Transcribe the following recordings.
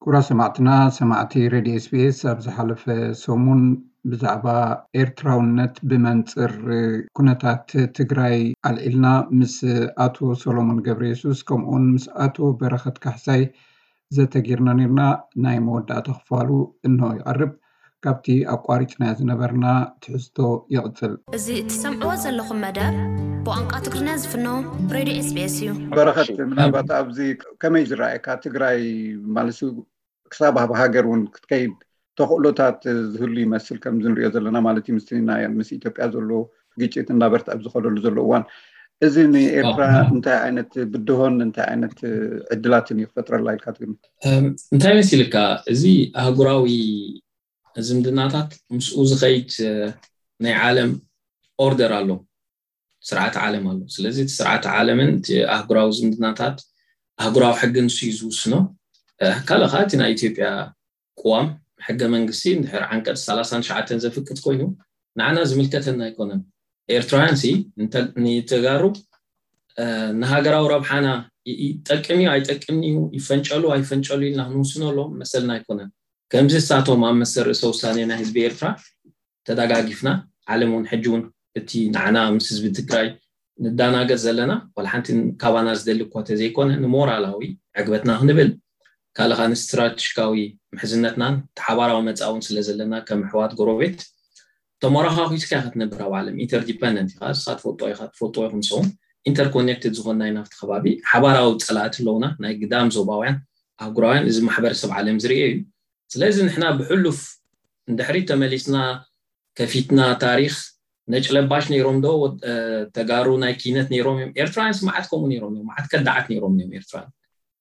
ክቡራት ሰማዕትና፣ ሰማዕቲ ሬድዮ ኤስቢኤስ፣ ኣብ ዝሓለፈ ሰሙን ብዛዕባ ኤርትራውነት ብመንጽር ኩነታት ትግራይ ኣልዒልና ምስ ኣቶ ሰሎሞን ገብረ የሱስ ከምኡውን ምስ ኣቶ በረኸት ካሕሳይ ዘተጊርና ነርና። ናይ መወዳእታ ክፋሉ እንሆ ይቐርብ። ካብቲ ኣቋሪጽናዮ ዝነበርና ትሕዝቶ ይቕጽል። እዚ እትሰምዕዎ ዘለኹም መደብ ብቋንቋ ትግርኛ ዝፍኖ ሬድዮ ኤስቢኤስ እዩ። በረኸት፣ ምናልባት ኣብዚ ከመይ ዝረኣየካ ትግራይ ማለት ክሳብ ኣብ ሃገር እውን ክትከይድ ተኽእሎታት ዝህሉ ይመስል፣ ከምዚ ንሪኦ ዘለና ማለት እዩ። ምስቲ ናይ ምስ ኢትዮጵያ ዘሎ ግጭት እናበርትዐ ኣብ ዝኸደሉ ዘሎ እዋን፣ እዚ ንኤርትራ እንታይ ዓይነት ብድሆን እንታይ ዓይነት ዕድላትን እዩ ክፈጥረላ ኢልካ ትግምት? እንታይ መሲልካ፣ እዚ ኣህጉራዊ ዝምድናታት ምስኡ ዝኸይድ ናይ ዓለም ኦርደር ኣሎ፣ ስርዓት ዓለም ኣሎ። ስለዚ እቲ ስርዓት ዓለምን እቲ ኣህጉራዊ ዝምድናታት ኣህጉራዊ ሕጊ ንሱ እዩ ዝውስኖ። ካልእ ከዓ እቲ ናይ ኢትዮጵያ ቅዋም ሕገ መንግስቲ እንድሕር ዓንቀፅ ሰላሳን ትሽዓተን ዘፍቅድ ኮይኑ ንዓና ዝምልከተና ኣይኮነን። ኤርትራውያን ሲ ንተጋሩ ንሃገራዊ ረብሓና ይጠቅም እዩ ኣይጠቅምን እዩ፣ ይፈንጨሉ ኣይፈንጨሉ ኢልና ክንውስነሎም መሰልና ኣይኮነን። ከምዚ እሳቶም ኣብ መሰል ርእሰ ውሳኔ ናይ ህዝቢ ኤርትራ ተደጋጊፍና፣ ዓለም እውን ሕጂ እውን እቲ ንዓና ምስ ህዝቢ ትግራይ ንዳናገጽ ዘለና ዋላ ሓንቲ ካባና ዝደሊ እኳ ተዘይኮነ ንሞራላዊ ዕግበትና ክንብል ካልኻ ንስትራቴጂካዊ ምሕዝነትናን ተሓባራዊ መጻውን ስለ ዘለና ከም ኣሕዋት ጎረቤት ተመራኻኺስካ ኢኻ ትነብር ኣብ ዓለም። ኢንተርዲፐንደንት ኢኻ፣ ንስኻ ትፈልጦ ኢኻ፣ ትፈልጥዎ ኢኹም ንስኹም። ኢንተርኮኔክትድ ዝኾንና ኢና ኣብቲ ከባቢ። ሓባራዊ ጸላእቲ ኣለውና፣ ናይ ግዳም ዞባውያን፣ ኣህጉራውያን፣ እዚ ማሕበረሰብ ዓለም ዝርኤ እዩ። ስለዚ ንሕና ብሕሉፍ ንድሕሪት ተመሊስና ከፊትና ታሪኽ ነጭ ለባሽ ነይሮም ዶ ተጋሩ ናይ ኪነት ነይሮም እዮም? ኤርትራውያን ስማዓት ከምኡ ነይሮም እዮም፣ መዓት ከዳዓት ነይሮም እዮም ኤርትራውያን።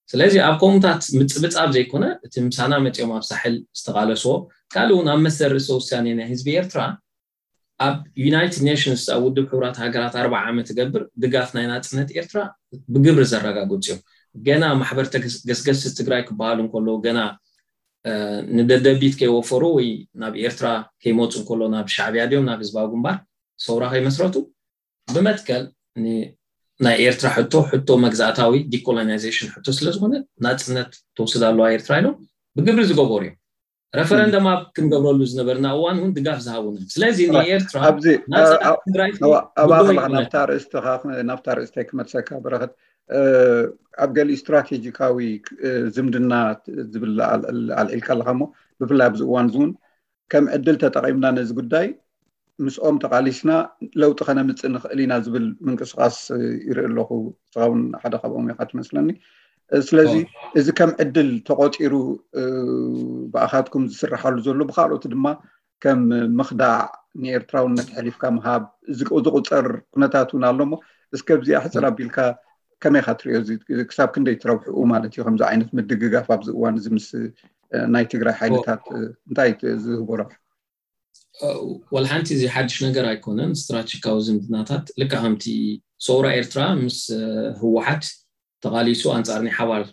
ስለዚ ኣብ ከምኡታት ምጽብጻብ ዘይኮነ እቲ ምሳና መጺኦም ኣብ ሳሕል ዝተቓለስዎ ካልእ እውን ኣብ መሰል ርእሰ ውሳኔ ናይ ህዝቢ ኤርትራ ኣብ ዩናይትድ ኔሽንስ ኣብ ውድብ ሕቡራት ሃገራት ኣርባዓ ዓመት ትገብር ድጋፍ ናይ ናጽነት ኤርትራ ብግብሪ ዘረጋግጹ እዮም። ገና ማሕበር ገስገስ ትግራይ ክበሃሉ እንከለዉ ገና ንደደቢት ከይወፈሩ ወይ ናብ ኤርትራ ከይመፁ እንከሎ ናብ ሻዕብያ ድዮም ናብ ህዝባዊ ግንባር ሰውራ ከይመስረቱ ብመትከል ናይ ኤርትራ ሕቶ ሕቶ መግዛእታዊ ዲኮሎናይዜሽን ሕቶ ስለዝኾነ ናፅነት ተወስድ ኣለዋ ኤርትራ ኢሎም ብግብሪ ዝገበሩ እዮም። ረፈረንደም ኣብ ክንገብረሉ ዝነበርና እዋን እውን ድጋፍ ዝሃቡና። ስለዚ ንኤርትራ ናብኣ ከለኻ ናብታ ርእስተይ ክመልሰካ በረኸት፣ ኣብ ገሊኡ ስትራቴጂካዊ ዝምድና ዝብል ኣልዒልካ ኣለኻ እሞ ብፍላይ ኣብዚ እዋን እውን ከም ዕድል ተጠቒምና ነዚ ጉዳይ ምስኦም ተቓሊስና ለውጢ ከነምፅእ ንኽእል ኢና ዝብል ምንቅስቃስ ይርኢ ኣለኹ። ንስኻ እውን ሓደ ካብኦም ኢኻ ትመስለኒ። ስለዚ እዚ ከም ዕድል ተቖፂሩ ብኣኻትኩም ዝስርሓሉ ዘሎ ብካልኦት ድማ ከም ምኽዳዕ ንኤርትራውነት ሕሊፍካ ምሃብ ዝቁፀር ኩነታት እውን ኣሎ እሞ እስከ ብዚኣ ሕፅር ኣቢልካ ከመይ ኢኻ ትሪኦ? ክሳብ ክንደይ ትረብሕኡ ማለት እዩ ከምዚ ዓይነት ምድግጋፍ ኣብዚ እዋን እዚ ምስ ናይ ትግራይ ሓይልታት እንታይ ዝህቦ ረብሓ? ወላ ሓንቲ እዚ ሓድሽ ነገር ኣይኮነን። ስትራቴጂካዊ ዝምድናታት ልክዕ ከምቲ ሰውራ ኤርትራ ምስ ህወሓት ተቓሊሱ ኣንጻር ናይ ሓባር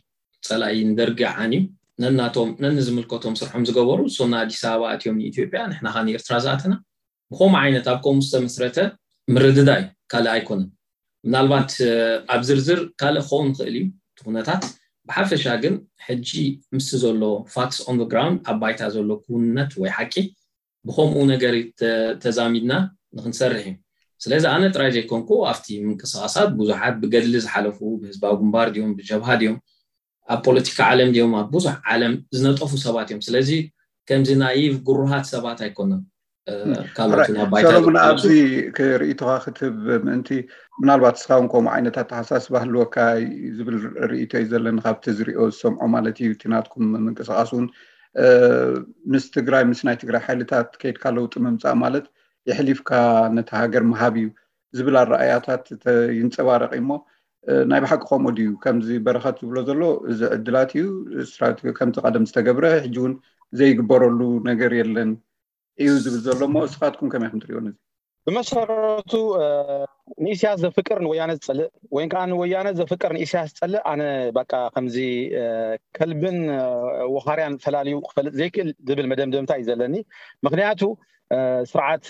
ጸላኢ ንደርጊ ዓንዩ ነናቶም ነንዝምልከቶም ስርሖም ዝገበሩ እሶም ንኣዲስ ኣበባ ኣትዮም ንኢትዮጵያ ንሕና ኸ ንኤርትራ ዝኣተና ብኸምኡ ዓይነት ኣብ ከምኡ ዝተመስረተ ምርድዳእ እዩ፣ ካልእ ኣይኮነን። ምናልባት ኣብ ዝርዝር ካልእ ክኸውን ይኽእል እዩ እቲ ኩነታት። ብሓፈሻ ግን ሕጂ ምስቲ ዘሎ ፋክትስ ኦን ግራውንድ ኣብ ባይታ ዘሎ ክውንነት ወይ ሓቂ ብኸምኡ ነገር ተዛሚድና ንክንሰርሕ እዩ። ስለዚ ኣነ ጥራይ ዘይኮንኩ ኣብቲ ምንቅስቃሳት ብዙሓት ብገድሊ ዝሓለፉ ብህዝባዊ ግንባር ድዮም ብጀብሃ ድዮም ኣብ ፖለቲካ ዓለም ድዮም ኣብ ብዙሕ ዓለም ዝነጠፉ ሰባት እዮም። ስለዚ ከምዚ ናይቭ ግሩሃት ሰባት ኣይኮነን። ካልኦት እውን ኣብ ባይታ ሰሎሙን ዝርከቡ ኣብዚ ክርእይቶኻ ክትህብ ምእንቲ ምናልባት እስኻ እውን ከምኡ ዓይነት ኣተሓሳስባ ህልወካ ዝብል ርእይቶ እዩ ዘለኒ ካብቲ ዝሪኦ ዝሰምዖ ማለት እዩ። እቲ ናትኩም ምንቅስቃስ እውን ምስ ትግራይ ምስ ናይ ትግራይ ሓይልታት ከይድካ ለውጢ ምምፃእ ማለት የሕሊፍካ ነቲ ሃገር ምሃብ እዩ ዝብል ኣረኣያታት ይንፀባረቕ እሞ ናይ ብሓቂ ከምኡ ድዩ? ከምዚ በረኸት ዝብሎ ዘሎ እዚ ዕድላት እዩ። ከምቲ ቀደም ዝተገብረ ሕጂ እውን ዘይግበረሉ ነገር የለን እዩ ዝብል ዘሎ እሞ እስኻትኩም ከመይ ከም ትሪኦ ነዚ? ብመሰረቱ ንኢሳያስ ዘፍቅር ንወያነ ዝጸልእ ወይ ከዓ ንወያነ ዘፍቅር ንኢሳያስ ዝጸልእ ኣነ በቃ ከምዚ ከልብን ወኻርያን ፈላልዩ ክፈልጥ ዘይክእል ዝብል መደምደምታ እዩ ዘለኒ። ምክንያቱ ስርዓት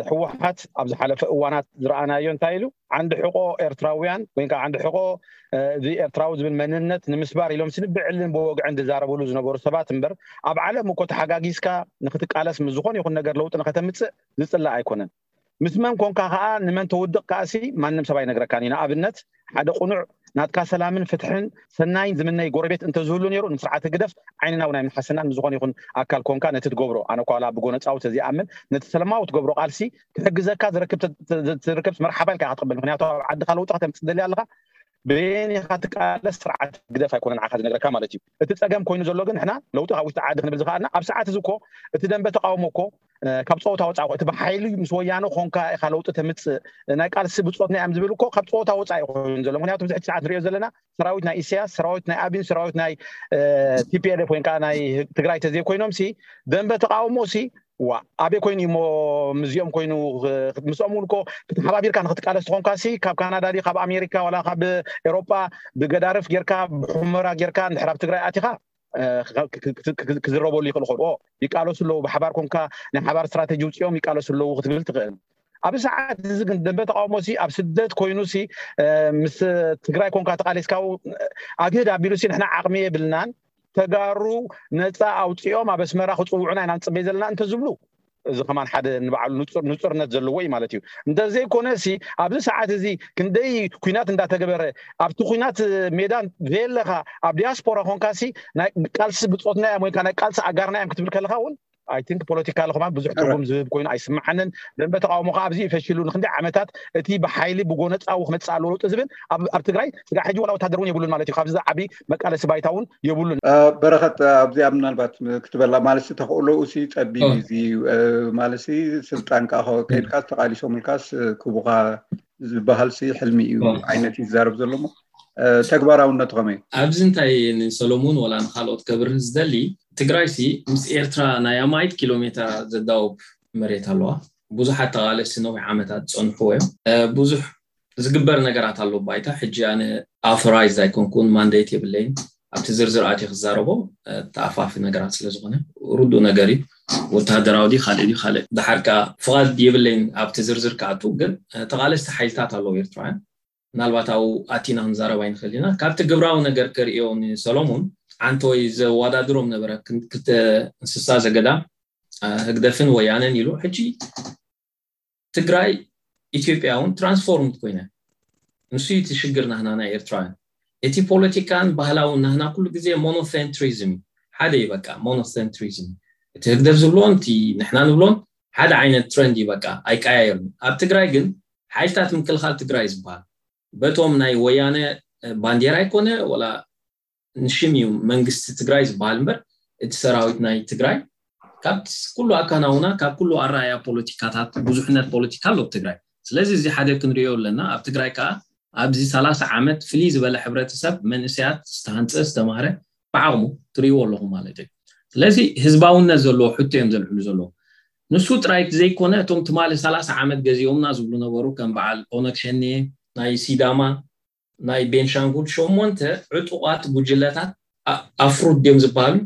ህወሓት ኣብ ዝሓለፈ እዋናት ዝረኣናዮ እንታይ ኢሉ ዓንዲ ሕቆ ኤርትራውያን ወይ ከዓ ዓንዲ ሕቆ እዚ ኤርትራዊ ዝብል መንነት ንምስባር ኢሎም ስንብዕልን ብወግዕን ዝዛረብሉ ዝነበሩ ሰባት እምበር ኣብ ዓለም እኮ ተሓጋጊዝካ ንክትቃለስ ምስ ዝኾነ ይኹን ነገር ለውጢ ንከተምፅእ ዝፅላእ ኣይኮነን። ምስ መን ኮንካ ከዓ ንመን ተውድቕ ከዓሲ ማንም ሰብ ኣይነግረካን እዩ። ንኣብነት ሓደ ቁኑዕ ናትካ ሰላምን ፍትሕን ሰናይን ዝምነይ ጎረቤት እንተዝህሉ ነይሩ ንስርዓት ህግደፍ ዓይንና እውን ኣይምሓሰናን። ንዝኾነ ይኹን ኣካል ኮንካ ነቲ ትገብሮ ኣነ ኳላ ብጎነፃዊ ተዝኣምን ነቲ ሰላማዊ ትገብሮ ቃልሲ ክሕግዘካ ዝረክብ ትርክብስ መርሓባ ኢልካ ክትቕበል። ምክንያቱ ኣብ ዓድካ ለውጢ ከተምፅእ ደሊ ኣለካ በየን ኢኻ ትቃለስ ስርዓት ህግደፍ ኣይኮነን ዓኻ ዝነግረካ ማለት እዩ። እቲ ፀገም ኮይኑ ዘሎ ግን ንሕና ለውጢ ካብ ውሽጢ ዓዲ ክንብል ዝኸኣልና ኣብ ሰዓት እዚ እኮ እቲ ደንበ ተቃውሞ እኮ ካብ ፀወታ ወፃኢ እቲ ብሓይሊ ምስ ወያነ ኮንካ ኢኻ ለውጢ ተምፅእ ናይ ቃልሲ ብፆትና እዮም ዝብል እኮ ካብ ፀወታ ወፃኢ ኮይኑ ዘሎ። ምክንያቱ ብዙሕ ሰዓት ንሪኦ ዘለና ሰራዊት ናይ ኢሳያስ ሰራዊት ናይ ኣቢን ሰራዊት ናይ ቲፒኤልኤፍ ወይ ከዓ ናይ ትግራይ ተዘይኮይኖም ሲ ደንበ ተቃውሞ ሲ ዋ ኣበይ ኮይኑ እሞ ምስዚኦም ኮይኑ ምስኦም እውን እኮ ክትሓባቢርካ ንክትቃለስ ትኾንካ ሲ ካብ ካናዳ ዲ ካብ ኣሜሪካ ዋላ ካብ ኤሮጳ ብገዳርፍ ጌርካ ብሑመራ ጌርካ እንድሕር ኣብ ትግራይ ኣቲኻ ክዝረበሉ ይኽእል ኾን ይቃለሱ ኣለዉ ብሓባር ኮንካ ናይ ሓባር ስትራተጂ ውፅኦም ይቃለሱ ኣለዉ ክትብል ትኽእል። ኣብ ሰዓት እዚ ግን ደንበ ተቃውሞ ሲ ኣብ ስደት ኮይኑ ሲ ምስ ትግራይ ኮንካ ተቃሊስካ ኣግህድ ኣቢሉ ሲ ንሕና ዓቕሚ የብልናን ተጋሩ ነፃ ኣውፂኦም ኣብ ኣስመራ ክፅውዑና ኢና ንፅበይ ዘለና እንተዝብሉ እዚ ከማን ሓደ ንባዕሉ ንፁርነት ዘለዎ እዩ ማለት እዩ። እንተዘይኮነ ሲ ኣብዚ ሰዓት እዚ ክንደይ ኩናት እንዳተገበረ ኣብቲ ኩናት ሜዳ ዘየለካ ኣብ ዲያስፖራ ኮንካ ሲ ናይ ቃልሲ ብፆትና እዮም ወይካ ናይ ቃልሲ ኣጋርና እዮም ክትብል ከለካ እውን ኣይ ቲንክ ፖለቲካ ለኹማን ብዙሕ ትርጉም ዝህብ ኮይኑ ኣይስምዓንን። ደንበ ተቃውሞ ከዓ ኣብዚ ፈሽሉ ንክንደይ ዓመታት እቲ ብሓይሊ ብጎነፃዊ ክመፅእ ኣለዎ ለውጢ ዝብል ኣብ ትግራይ ስጋዕ ሕጂ ዋላ ወታደር እውን የብሉን ማለት እዩ። ካብዚ ዝዓቢ መቃለሲ ባይታ እውን የብሉን። በረኸት ኣብዚኣ ምናልባት ክትበላ ማለት ተኽእሎኡ ሲ ፀቢብ እዚ ማለት ስልጣን ከዓ ከይድካ ተቃሊሶምልካስ ክቡካ ዝበሃል ሲ ሕልሚ እዩ ዓይነት ይዛረብ ዘሎ ተግባራውነቱ ከመይ? ኣብዚ እንታይ ንሰሎሙን ወላ ንካልኦት ከብርህ ዝደሊ ትግራይ ሲ ምስ ኤርትራ ናይ ኣማኢት ኪሎ ሜትራ ዘዳውብ መሬት ኣለዋ። ብዙሓት ተቃለስቲ ነዊሕ ዓመታት ዝፀንሕዎ እዮም። ብዙሕ ዝግበር ነገራት ኣሎ ባይታ ሕጂ ኣነ ኣውቶራይዝ ኣይኮንኩን ማንዴት የብለይን ኣብቲ ዝርዝር ኣትየ ክዛረቦ ተኣፋፊ ነገራት ስለዝኾነ ርዱእ ነገር እዩ። ወተሃደራዊ ድዩ ካልእ ድዩ ካልእ ድሓር ከዓ ፍቓድ የብለይን ኣብቲ ዝርዝር ክኣቱ ግን ተቓለስቲ ሓይልታት ኣለዉ ኤርትራውያን ምናልባት ኣብኡ ኣቲና ክንዛረብ ኣይንኽእል ኢና። ካብቲ ግብራዊ ነገር ከርእዮ ንሰሎሙን ዓንተወይ ዘወዳድሮም ነበረ ክልተ እንስሳ ዘገዳም ህግደፍን ወያነን ኢሉ ሕጂ ትግራይ ኢትዮጵያ እውን ትራንስፎርምድ ኮይነ ንሱ እቲ ሽግር ናህና ናይ ኤርትራውያን እቲ ፖለቲካን ባህላውን ናህና ኩሉ ግዜ ሞኖሴንትሪዝም ሓደ እዩ በቃ ሞኖሴንትሪዝም እቲ ህግደፍ ዝብሎን እቲ ንሕና ንብሎን ሓደ ዓይነት ትረንድ እዩ በቃ ኣይቀያየርን ኣብ ትግራይ ግን ሓይልታት ምክልኻል ትግራይ ዝበሃል በቶም ናይ ወያነ ባንዴራ ኣይኮነ ወላ ንሽም እዩ መንግስቲ ትግራይ ዝበሃል እምበር እቲ ሰራዊት ናይ ትግራይ ካብ ኩሉ ኣካናውና ካብ ኩሉ ኣረኣያ ፖለቲካታት ብዙሕነት ፖለቲካ ኣሎ ትግራይ ስለዚ እዚ ሓደ ክንሪኦ ኣለና ኣብ ትግራይ ከዓ ኣብዚ ሰላሳ ዓመት ፍልይ ዝበለ ሕብረተሰብ መንእሰያት ዝተሃንፀ ዝተማህረ ብዓቕሙ ትሪእዎ ኣለኹም ማለት እዩ ስለዚ ህዝባውነት ዘለዎ ሕቶ እዮም ዘልዕሉ ዘለዉ ንሱ ጥራይ ዘይኮነ እቶም ትማሊ ሰላሳ ዓመት ገዚኦምና ዝብሉ ነበሩ ከም በዓል ኦነግ ሸኔ ናይ ሲዳማ ናይ ቤንሻንጉል ሸሞንተ ዕጡቓት ጉጅለታት ኣፍሩድ ድዮም ዝበሃሉ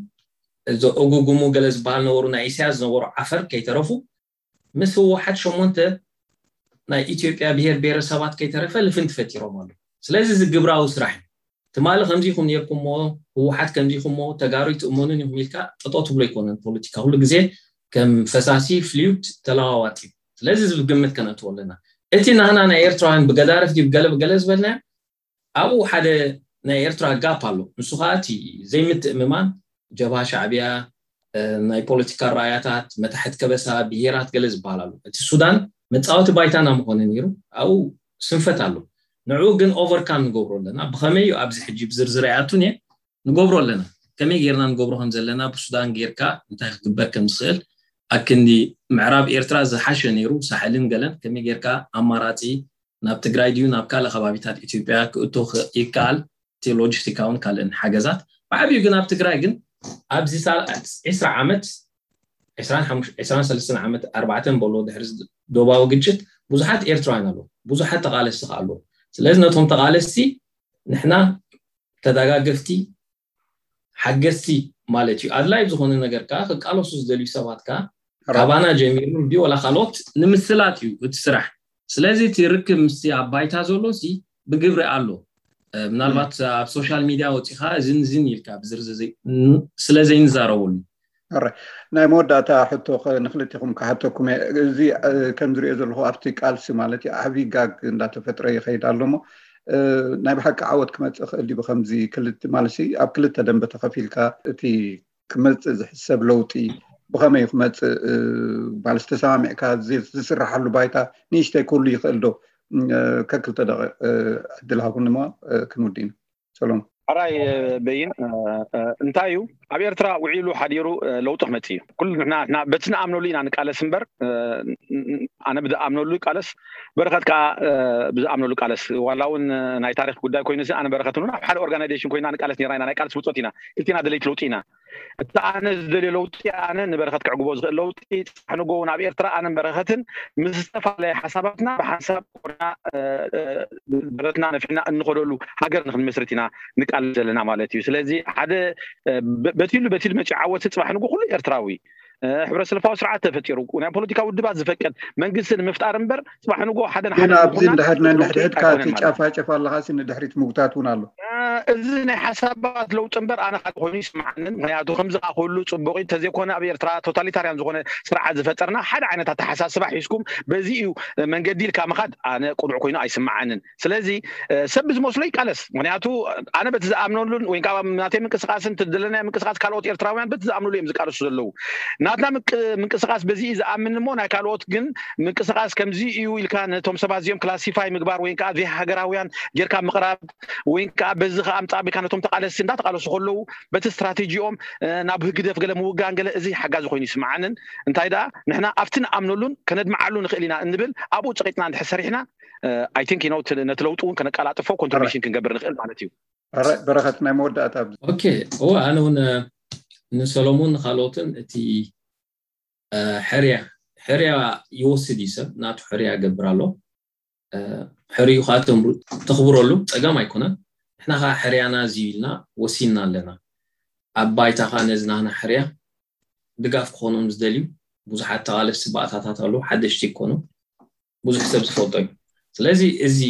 እዞ እጉጉሙ ገለ ዝበሃል ነበሩ ናይ ኢሳያስ ዝነበሩ ዓፈር ከይተረፉ ምስ ህወሓት ሸሞንተ ናይ ኢትዮጵያ ብሄር ብሄረሰባት ከይተረፈ ልፍንቲ ፈጢሮም ኣለዉ ስለዚ እዚ ግብራዊ ስራሕ እዩ ትማሊ ከምዚኹም ነርኩሞ ህወሓት ከምዚኹሞ ተጋሩ ይትእመኑን ኢኹም ኢልካ ጠጠው ትብሎ ኣይኮነን ፖለቲካ ኩሉ ግዜ ከም ፈሳሲ ፍሉይድ ተለዋዋጢ እዩ ስለዚ እዚ ብግምት ከነእትዎ ኣለና እቲ ናህና ናይ ኤርትራውያን ብገዳርፍ ድዩ ብገለ ብገለ ዝበልናዮ ኣብኡ ሓደ ናይ ኤርትራ ጋፕ ኣሎ ንሱ ከዓ እቲ ዘይምትእምማን ጀብሃ ሻዕብያ ናይ ፖለቲካ ራእያታት መታሕት ከበሳ ብሄራት ገለ ዝበሃል ኣሎ እቲ ሱዳን መፃወቲ ባይታና ምኾነ ነይሩ ኣብኡ ስንፈት ኣሎ ንዕኡ ግን ኦቨርካም ንገብሮ ኣለና ብኸመይ እዩ ኣብዚ ሕጂ ብዝርዝር ኣይኣቱን እየ ንገብሮ ኣለና ከመይ ጌርና ንገብሮ ከም ዘለና ብሱዳን ጌርካ እንታይ ክግበር ከም ዝኽእል ኣክንዲ ምዕራብ ኤርትራ ዝሓሸ ነይሩ ሳሕልን ገለን ከመይ ጌርካ ኣማራፂ ናብ ትግራይ ድዩ ናብ ካልእ ከባቢታት ኢትዮጵያ ክእቶ ይከኣል እቲ ሎጂስቲካውን ካልእን ሓገዛት ብዓብዩ ግን ኣብ ትግራይ ግን ኣብዚ ዒስራ ዓመት ዕስራን ሰለስተን ዓመት ኣርባዕተን በሎ ድሕሪ ዶባዊ ግጭት ብዙሓት ኤርትራውያን ኣለዉ፣ ብዙሓት ተቓለስቲ ከ ኣለዉ። ስለዚ ነቶም ተቓለስቲ ንሕና ተዳጋገፍቲ ሓገዝቲ ማለት እዩ። ኣድላይ ዝኾነ ነገር ከዓ ክቃለሱ ዝደልዩ ሰባት ከዓ ካባና ጀሚሩ እንዲ ወላ ካልኦት ንምስላጥ እዩ እቲ ስራሕ። ስለዚ እቲ ርክብ ምስቲ ኣብ ባይታ ዘሎ ሲ ብግብሪ ኣሎ። ምናልባት ኣብ ሶሻል ሚድያ ወፂኻ ዝንዝን ኢልካ ብዝርዝር ስለ ዘይንዛረበሉ። ናይ መወዳእታ ሕቶ ንክልቲኹም ክሓተኩም እየ። እዚ ከም ዝሪኦ ዘለኹ ኣብቲ ቃልሲ ማለት እዩ ዓብዪ ጋግ እንዳተፈጥረ ይኸይድ ኣሎ እሞ ናይ ብሓቂ ዓወት ክመፅእ ክእል ድዩ ብከምዚ ክልቲ ማለት ኣብ ክልተ ደንበ ተኸፊልካ እቲ ክመፅእ ዝሕሰብ ለውጢ ብኸመይ ክመፅእ ማለት ተሰማሚዕካ ዝስራሓሉ ባይታ ንእሽተይ ክህሉ ይኽእል ዶ? ከክልተ ደቂቕ ዕድል ሃቡኒ እሞ ክንውድእ ኢና። ሰሎም። ሕራይ በይን እንታይ እዩ ኣብ ኤርትራ ውዒሉ ሓዲሩ ለውጢ ክመፅእ እዩ። ኩሉ ንሕና በቲ ንኣምነሉ ኢና ንቃለስ እምበር ኣነ ብዝኣምነሉ ይቃለስ፣ በረኸት ከዓ ብዝኣምነሉ ቃለስ። ዋላ እውን ናይ ታሪክ ጉዳይ ኮይኑ ኣነ በረኸት እውን ኣብ ሓደ ኦርጋናይዜሽን ኮይና ንቃለስ ነራ ኢና። ናይ ቃልስ ውፅኦት ኢና። ክልቲና ደለይቲ ለውጢ ኢና። እቲ ኣነ ዝደልዮ ለውጢ ኣነ ንበረኸት ክዕግቦ ዝኽእል ለውጢ ፅባሕ ንጎ እውን ኣብ ኤርትራ ኣነን በረኸትን ምስ ዝተፈላለየ ሓሳባትና ብሓንሳብ ኮና ደረትና ነፊሕና እንኸደሉ ሃገር ንክንመስርት ኢና ንቃለስ ዘለና ማለት እዩ። ስለዚ ሓደ በቲሉ በቲሉ መፂኡ ዓወት ፅባሕ ንጎ ኩሉ ኤርትራዊ ሕብረተሰልፋዊ ስርዓት ተፈጢሩ ናይ ፖለቲካ ውድባት ዝፈቅድ መንግስቲ ንምፍጣር እምበር ፅባሕ ንጎ ሓደ ግን ኣብዚ እንድሕር ነንሕድሕድካ ትጫፋጨፍ ኣለካ ሲ ንድሕሪት ምጉታት እውን ኣሎ። እዚ ናይ ሓሳባት ለውጢ እምበር ኣነ ካልእ ኮይኑ ይስምዓንን። ምክንያቱ ከምዚ ከዓ ክህሉ ፅቡቅ እዩ። እንተዘይኮነ ኣብ ኤርትራ ቶታሊታርያን ዝኾነ ስርዓት ዝፈጠርና ሓደ ዓይነት ኣተሓሳስባ ሒዝኩም በዚ እዩ መንገዲ ኢልካ ምኻድ ኣነ ቅኑዕ ኮይኑ ኣይስምዓንን። ስለዚ ሰብ ብዝመስሎ ይቃለስ። ምክንያቱ ኣነ በቲ ዝኣምነሉን ወይ ከዓ ናተይ ምንቅስቃስን ትደለናዮ ምንቅስቃስ ካልኦት ኤርትራውያን በቲ ዝኣምንሉ እዮም ዝቃለሱ ዘለዉ። ናትና ምንቅስቃስ በዚ እዩ ዝኣምን እሞ ናይ ካልኦት ግን ምንቅስቃስ ከምዚ እዩ ኢልካ ነቶም ሰባት እዚኦም ክላሲፋይ ምግባር ወይ ከዓ ዘይሃገራውያን ጌርካ ምቕራብ ወይ ከዓ በዚ ከዓ ኣምፃእ ኣቢልካ ነቶም ተቃለስቲ እንዳተቃለሱ ከለዉ በቲ ስትራቴጂኦም ናብ ህግደፍ ገለ ምውጋን ገለ እዚ ሓጋዚ ኮይኑ ይስምዓንን። እንታይ ደኣ ንሕና ኣብቲ ንኣምነሉን ከነድምዓሉ ንኽእል ኢና እንብል ኣብኡ ፀቂጥና እንድሕር ሰሪሕና I think you know ነቲ ለውጢ እውን ከነቀላጥፎ ኮንትሪቢሽን ክንገብር ንኽእል ማለት እዩ። በረኸት ናይ መወዳእታ ኦኬ እወ ኣነ እውን ንሰሎሞን ንካልኦትን እቲ ሕርያ ሕርያ ይወስድ እዩ ሰብ ናቱ ሕርያ ገብር ኣሎ። ሕርዩ ከዓ ተኽብረሉ ፀገም ኣይኮነን። ንሕና ከዓ ሕርያና እዚ ኢልና ወሲንና ኣለና። ኣብ ባይታ ከዓ ነዚ ናህና ሕርያ ድጋፍ ክኾኖም ዝደልዩ ብዙሓት ተቓለስቲ ባእታታት ኣለዉ። ሓደሽቲ ይኮኑ ብዙሕ ሰብ ዝፈልጦ እዩ። ስለዚ እዚ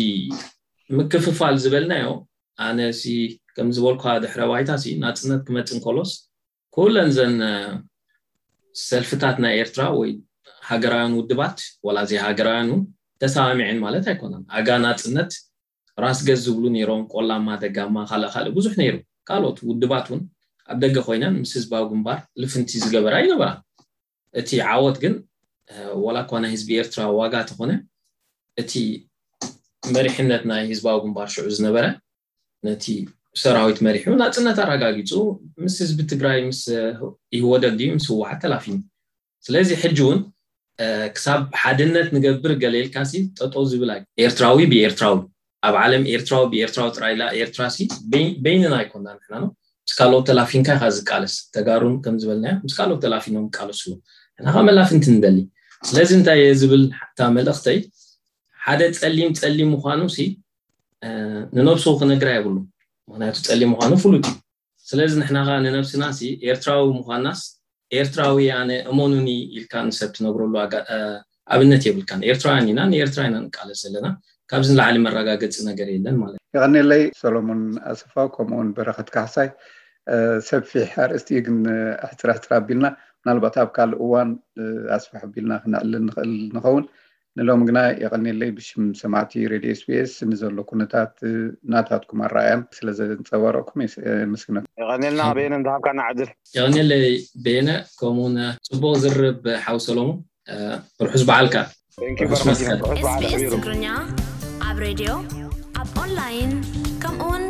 ምክፍፋል ዝበልናዮ ኣነ ሲ ከም ዝበልኳ ድሕረ ባይታ ሲ ናፅነት ክመፅእ እንከሎስ ኩለን ዘን ሰልፍታት ናይ ኤርትራ ወይ ሃገራውያን ውድባት ዋላ ዘይሃገራውያን እውን ተሰማሚዐን ማለት ኣይኮነን። ኣጋ ናፅነት ራስ ገዝ ዝብሉ ነይሮም፣ ቆላማ፣ ደጋማ፣ ካልእ ካልእ ብዙሕ ነይሩ። ካልኦት ውድባት እውን ኣብ ደገ ኮይነን ምስ ህዝባዊ ግንባር ልፍንቲ ዝገበራ ይነበራ። እቲ ዓወት ግን ዋላ እኳ ናይ ህዝቢ ኤርትራ ዋጋ ተኾነ እቲ መሪሕነት ናይ ህዝባዊ ግንባር ሽዑ ዝነበረ ነቲ ሰራዊት መሪሑ ናፅነት ኣረጋጊፁ ምስ ህዝቢ ትግራይ ምስ ኢህወደግ ድዩ ምስ ህወሓት ተላፊኑ። ስለዚ ሕጂ እውን ክሳብ ሓድነት ንገብር ገለ ኢልካ ሲ ጠጠው ዝብል ኣይ ኤርትራዊ ብኤርትራዊ ኣብ ዓለም ኤርትራዊ ብኤርትራዊ ጥራይ ኢላ ኤርትራ ሲ በይንና ኣይኮና ንሕና ነው ምስ ካልኦት ተላፊንካ ኢካ ዝቃለስ ተጋሩን ከም ዝበልናዮ ምስ ካልኦት ተላፊኖም ይቃለሱ ኣለዉ ንሕና ከ መላፍንቲ ንደሊ ስለዚ እንታይ እየ ዝብል እታ መልእክተይ ሓደ ፀሊም ፀሊም ምኳኑ ሲ ንነብሱ ክነግራ የብሉ ምክንያቱ ፀሊም ምኳኑ ፍሉጥ እዩ ስለዚ ንሕና ከ ንነብስና ሲ ኤርትራዊ ምኳናስ ኤርትራዊ ኣነ እመኑኒ ኢልካ ንሰብ ትነግረሉ ኣብነት የብልካን ኤርትራውያን ኢና ንኤርትራ ኢና ንቃለስ ዘለና ካብዚ ንላዕሊ መረጋገፂ ነገር የለን ማለት እዩ። የቐኔለይ ሰሎሞን ኣሰፋው ከምኡውን በረኸት ካሕሳይ ሰፊሕ ኣርእስቲ እዩ ግን ኣሕፅር ኣሕፅር ኣቢልና ምናልባት ኣብ ካልእ እዋን ኣስፍሕ ኣቢልና ክነዕልል ንኽእል ንኸውን ንሎም ግና የቐኔለይ ብሽም ሰማዕቲ ሬድዮ ስቢኤስ ንዘሎ ኩነታት ናታትኩም ኣረኣያን ስለ ዘንፀባረቕኩም የመስግነኩም። የቐኔልና በየነ ንዝሃብካና ዕድል። የቐኔለይ በየነ ከምኡውን ፅቡቕ ዝርብ ሓው ሰሎሞን ርሑስ በዓልካ። SBS ትግርኛ ኣብ ሬድዮ ኣብ ኦንላይን ከምኡውን